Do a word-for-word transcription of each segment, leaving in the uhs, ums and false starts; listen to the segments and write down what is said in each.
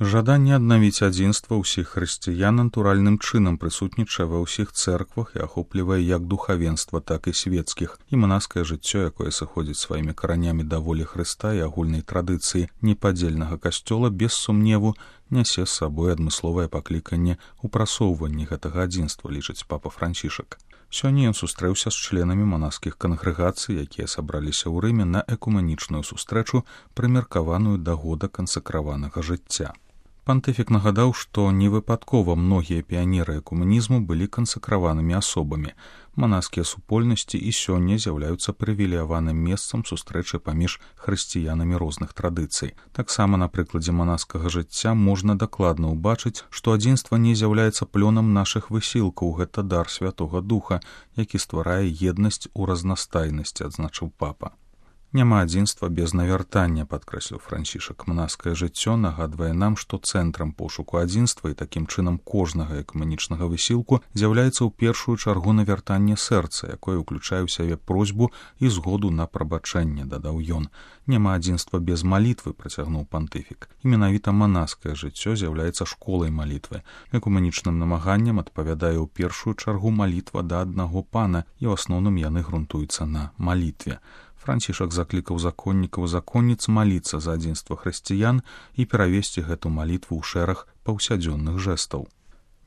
Жаданне аднавіць адзінства ўсіх хрысціян натуральным чынам прысутнічае ва ўсіх цэрквах і ахоплівае як духавенства, так і свецкіх, і манаскае жыццё, якое сыходзіць сваімі каранямі да волі Хрыста і агульнай традыцыі непадзельнага касцёла, без сумневу нясе з сабой адмысловае пакліканне ў прасоўванні гэтага адзінства, лічыць папа Францішак. Сёння ён сустрэўся з членамі манаскіх кангрэгацый, якія сабраліся ў Рыме на экумэнічную сустрэчу, прымеркаваную да года кансакраванага жыцця. Пантыфік нагадаў, што невыпадкова многія піянеры экумэнізму былі кансакраванымі асобамі. Манаскія супольнасці і сёння з'яўляюцца прывілеяваным месцам сустрэчы паміж хрысціянамі розных традыцый. Таксама на прыкладзе манаскага жыцця можна дакладна ўбачыць, што адзінства не з'яўляецца плёнам нашых высілкаў, гэта дар Святога Духа, які стварае еднасць у разнастайнасці, адзначыў папа. Няма адзінства без навяртання, падкрэсліў Францішак. Манаскае жыццё нагадвае нам, што цэнтрам пошуку адзінства і такім чынам кожнага экумэнічнага высілку з'яўляецца ў першую чаргу навяртанне сэрца, якое ўключае ў сябе просьбу і згоду на прабачэнне, дадаў ён. Няма адзінства без малітвы, працягнуў пантыфік. І менавіта манаскае жыццё з'яўляецца школай малітвы. Экумэнічным намаганням адпавядае ў першую чаргу малітва да аднаго пана, і ў асноўным яны грунтуюцца на малітве. Францішак заклікаў законнікаў і законніц маліцца за адзінства хрысціян і перавесці гэту малітву ў шэраг паўсядзённых жэстаў.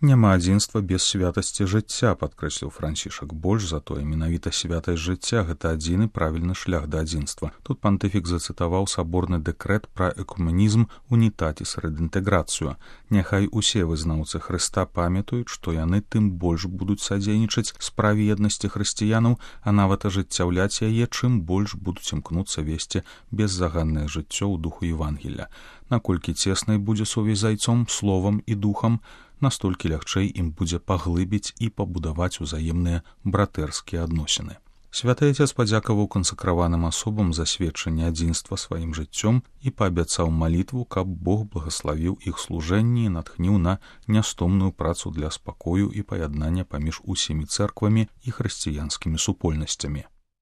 Няма адзінства без святасці жыцця, падкрэсліў Францішак. Больш за тое, менавіта святасць жыцця — гэта адзіны правільны шлях да адзінства. Тут пантыфік зацытаваў саборны дэкрэт пра экумэнізм унітатіс рэдінтэграцыю. Няхай усе вызнаўцы Хрыста памятаюць, што яны тым больш будуць садзейнічаць справе еднасці хрысціянаў, а нават ажыццяўляць яе, чым больш будуць імкнуцца весці беззаганнае жыццё ў духу Евангелля. Наколькі цеснай будзе сувязь з айцом, словам і духам, настолькі лягчэй ім будзе паглыбіць і пабудаваць узаемныя братэрскія адносіны. Святы Отец падзякаваў кансакраваным асобам за сведчанне адзінства сваім жыццём і паабяцаў малітву, каб Бог благаславіў іх служэнні і натхніў на нястомную працу для спакою і паяднання паміж усімі цэрквамі і хрысціянскімі супольнасцямі.